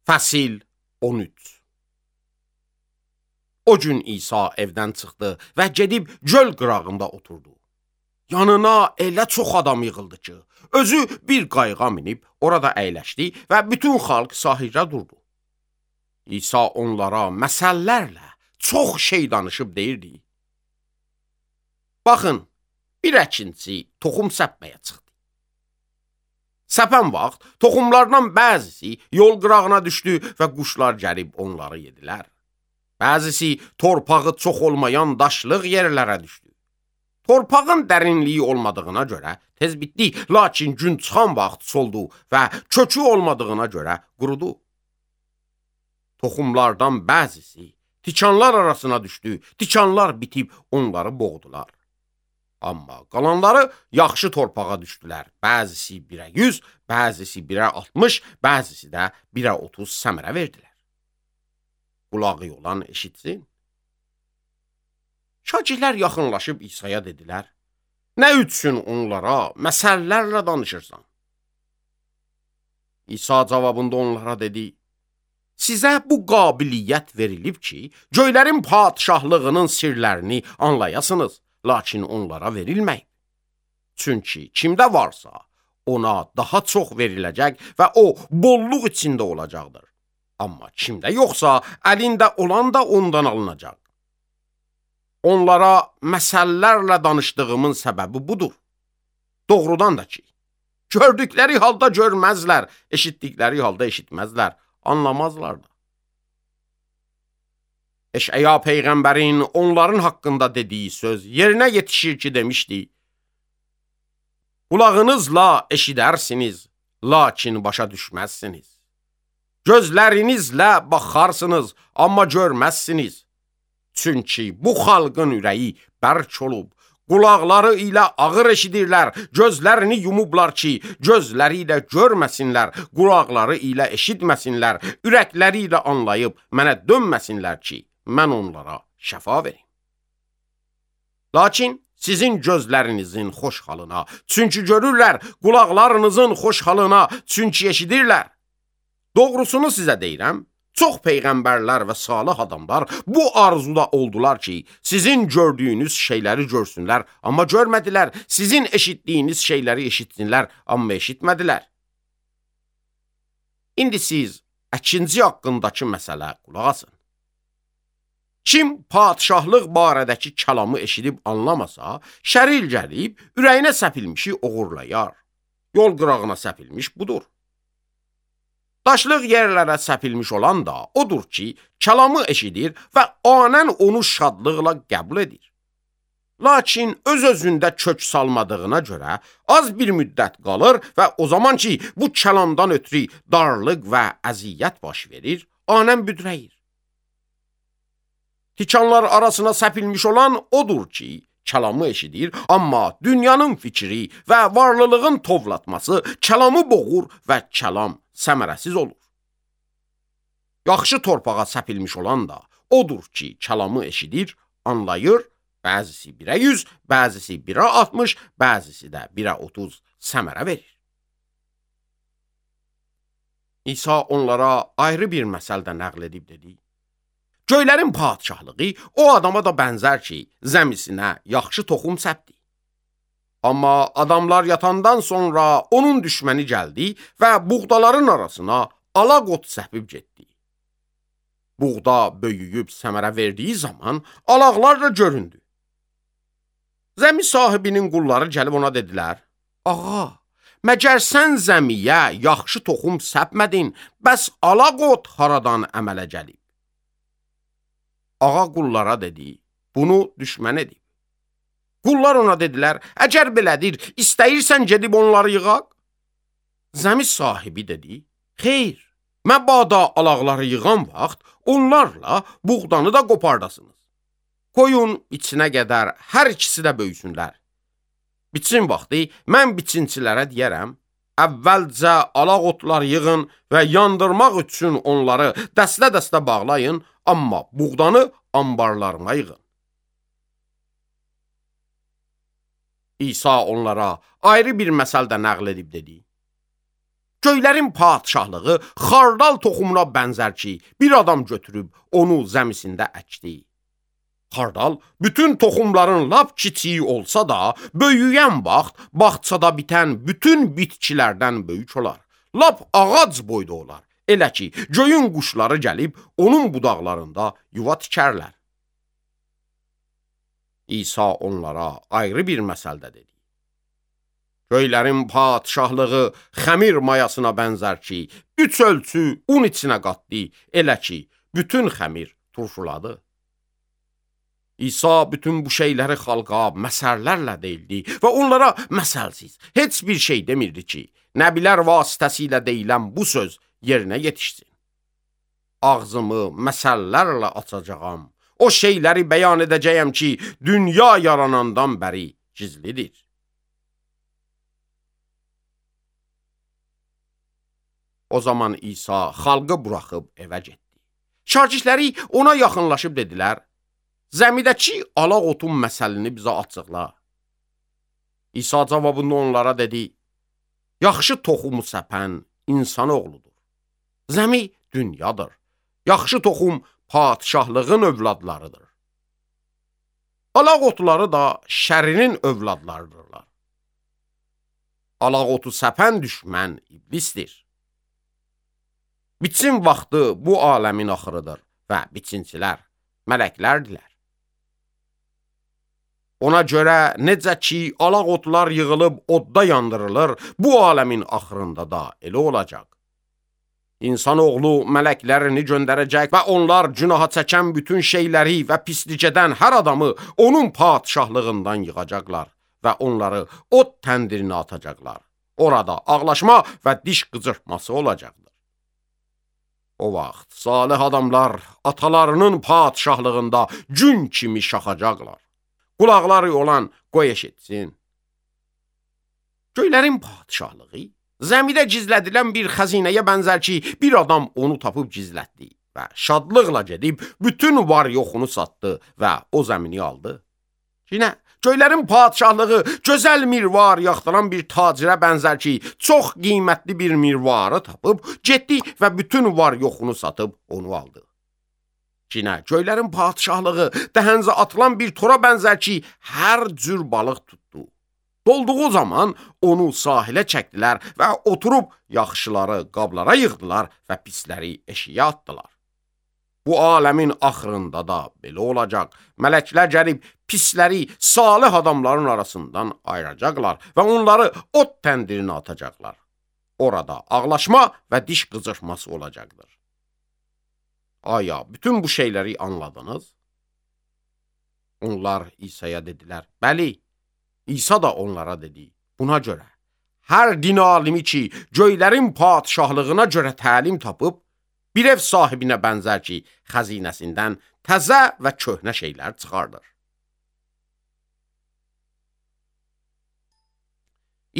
Fəsil 13. O gün İsa evdən çıxdı və gedib göl qırağında oturdu. Yanına elə çox adam yığıldı ki, özü bir qayığa minib orada əyləşdi və bütün xalq sahildə durdu. İsa onlara məsəllərlə çox şey danışıb deyirdi. Baxın, bir əkinçi toxum səpməyə çıxdı. Səpən vaxt toxumlardan bəzisi yol qırağına düşdü və quşlar gəlib onları yedilər. Bəzisi torpağı çox olmayan daşlıq yerlərə düşdü. Torpağın dərinliyi olmadığına görə tez bitdi, lakin gün çıxan vaxt soldu və kökü olmadığına görə qurudu. Toxumlardan bəzisi tikanlar arasına düşdü, tikanlar bitib onları boğdular. Amma qalanları yaxşı torpağa düşdülər. Bəzisi 1'ə 100, bəzisi 1'ə 60, bəzisi də 1'ə 30 səmərə verdilər. Qulağı olan eşitsin. Şagirdlər yaxınlaşıb İsa'ya dedilər, nə üçün onlara məsəllərlə danışırsan? İsa cavabında onlara dedi, sizə bu qabiliyyət verilib ki, göylərin padişahlığının sirlərini anlayasınız. Lakin onlara verilməyib. Çünki kimdə varsa, ona daha çox veriləcək və o, bolluq içində olacaqdır. Amma kimdə yoxsa, əlində olan da ondan alınacaq. Onlara məsəllərlə danışdığımın səbəbi budur. Doğrudan da ki, gördükləri halda görməzlər, eşitdikləri halda eşitməzlər, anlamazlar da. Eş'ya peyğəmbərin onların haqqında dediyi söz yerinə yetişir ki, demişdi, qulağınızla eşidərsiniz, lakin başa düşməzsiniz. Gözlərinizlə baxarsınız, amma görməzsiniz. Çünki bu xalqın ürəyi bərk olub, qulaqları ilə ağır eşidirlər, gözlərini yumublar ki, gözləri ilə görməsinlər, qulaqları ilə eşitməsinlər, ürəkləri ilə anlayıb mənə dönməsinlər ki, mən onlara şəfa verim. Lakin sizin gözlərinizin xoş halına, çünki görürlər, qulaqlarınızın xoş halına, çünki eşidirlər. Doğrusunu sizə deyirəm, çox peyğəmbərlər və salih adamlar bu arzuda oldular ki, sizin gördüyünüz şeyləri görsünlər, amma görmədilər, sizin eşitdiyiniz şeyləri eşitsinlər, amma eşitmədilər. İndi siz əkinci haqqındakı məsələ qulaq asın. Kim padişahlıq barədəki kəlamı eşidib anlamasa, şəril gəlib, ürəyinə səpilmişi oğurlayar. Yol qırağına səpilmiş budur. Daşlıq yerlərə səpilmiş olan da odur ki, kəlamı eşidir və anən onu şadlıqla qəbul edir. Lakin öz-özündə kök salmadığına görə az bir müddət qalır və o zaman ki, bu kəlamdan ötürü darlıq və əziyyət baş verir, anən büdrəyir. Tikanlar arasına səpilmiş olan odur ki, kəlamı eşidir, amma dünyanın fikri və varlılığın tovlatması kəlamı boğur və kəlam səmərəsiz olur. Yaxşı torpağa səpilmiş olan da odur ki, kəlamı eşidir, anlayır, bəzisi 1'ə 100, bəzisi 1'ə 60, bəzisi də 1'ə 30 səmərə verir. İsa onlara ayrı bir məsəldə nəql edib dedi, göylərin padişahlığı o adama da bənzər ki, zəmisinə yaxşı toxum səpdi. Amma adamlar yatandan sonra onun düşməni gəldi və buğdaların arasına alaq ot səpib getdi. Buğda böyüyüb səmərə verdiyi zaman alaqlar da göründü. Zəmi sahibinin qulları gəlib ona dedilər, ağa, məgər sən zəmiyə yaxşı toxum səpmədin, bəs alaq ot haradan əmələ gəlib? Ağa qullara dedi, bunu düşmən edib. Qullar ona dedilər, əgər belədir, istəyirsən gedib onları yığaq? Zəmi sahibi dedi, xeyr, məbada alaqları yığan vaxt onlarla buğdanı da qopardasınız. Qoyun içinə qədər hər ikisi də böyüsünlər. Biçin vaxtı mən biçinçilərə deyərəm, əvvəlcə alaq otlar yığın və yandırmaq üçün onları dəstə-dəstə bağlayın, amma buğdanı ambarlarına yığın. İsa onlara ayrı bir məsəldə nəql edib dedi, Göylərin padşahlığı xardal toxumuna bənzər ki, bir adam götürüb onu zəmisində əkdi. Xardal bütün toxumların lap kiçiyi olsa da, böyüyən vaxt bağçada bitən bütün bitkilərdən böyük olar. Lap ağac boyda olar. Elə ki, göyün quşları gəlib onun budaqlarında yuva tikərlər. İsa onlara ayrı bir məsəldə dedi. Göylərin padşahlığı xəmir mayasına bənzər ki, 3 ölçü un içinə qatdı, elə ki, bütün xəmir turşuladı. İsa bütün bu şeyləri xalqa məsəllərlə deyildi və onlara məsəlsiz heç bir şey demirdi ki, nəbilər vasitəsilə deyilən bu söz yerinə yetişsin. Ağzımı məsəllərlə açacağam, o şeyləri bəyan edəcəyəm ki, dünya yaranandan bəri gizlidir. O zaman İsa xalqı buraxıb evə getdi. Şagirdləri ona yaxınlaşıb dedilər, zəmidəki alaq otun məsəlini bizə açıqla. İsa cavabında onlara dedi, yaxşı toxumu səpən insan oğludur. Zəmi dünyadır. Yaxşı toxum padşahlığın övladlarıdır. Alaq otları da şərinin övladlarıdırlar. Alaq otu səpən düşmən iblisdir. Bitsin vaxtı bu aləmin axırıdır və biçincilər mələklərdilər. Ona görə necə ki, alaq otlar yığılıb odda yandırılır, bu aləmin axırında da elə olacaq. İnsanoğlu mələklərini göndərəcək və onlar günaha çəkən bütün şeyləri və pislik edən hər adamı onun padşahlığından yığacaqlar və onları od təndirinə atacaqlar. Orada ağlaşma və diş qıcırtması olacaqdır. O vaxt salih adamlar atalarının padşahlığında gün kimi şaxacaqlar. Qulaqları olan qoy eşitsin. Göylərin padşahlığı zəmidə gizlədilən bir xəzinəyə bənzər ki, bir adam onu tapıb gizlətdi və şadlıqla gedib bütün var yoxunu satdı və o zəmini aldı. Yine göylərin padşahlığı gözəl mirvar yaxdıran bir tacirə bənzər ki, çox qiymətli bir mirvarı tapıb, getdi və bütün var yoxunu satıb onu aldı. Yine göylərin padşahlığı dəhəncə atılan bir tora bənzər ki, hər cür balıq tutdu. Dolduğu zaman onu sahilə çəkdilər və oturub yaxşıları qablara yığdılar və pisləri eşiyə atdılar. Bu aləmin axırında da belə olacaq. Mələklər gəlib pisləri salih adamların arasından ayıracaqlar və onları od təndirinə atacaqlar. Orada ağlaşma və diş qıcırtması olacaqdır. Aya, bütün bu şeyləri anladınız? Onlar İsa'ya dedilər, bəli. İsa da onlara dedi, buna görə, hər din alimi ki, göylərin padşahlığına görə təlim tapıb, bir ev sahibinə bənzər ki, xəzinəsindən təzə və köhnə şeylər çıxardır.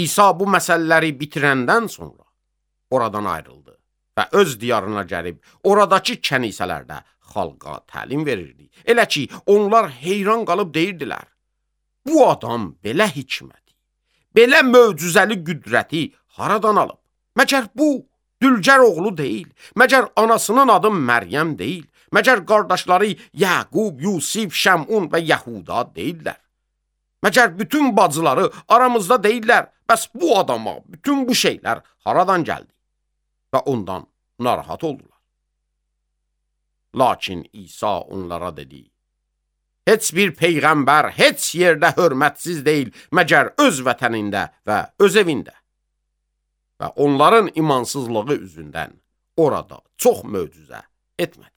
İsa bu məsələləri bitirəndən sonra oradan ayrıldı və öz diyarına gəlib, oradakı kənisələrdə xalqa təlim verirdi. Elə ki, onlar heyran qalıb deyirdilər, bu adam belə hikməti, belə möcüzəli qüdrəti haradan alıb? Məgər bu Dülgər oğlu deyil, məgər anasının adı Məryəm deyil, məgər qardaşları Yaqub, Yusif, Şəmun və Yəhuda deyirlər. Məgər bütün bacıları aramızda deyirlər, bəs bu adama bütün bu şeylər haradan gəldi? Və ondan narahat oldular. Lakin İsa onlara dedi, heç bir peyğəmbər heç yerdə hörmətsiz deyil, məgər öz vətənində və öz evində. Və onların imansızlığı üzündən orada çox möcüzə etmədi.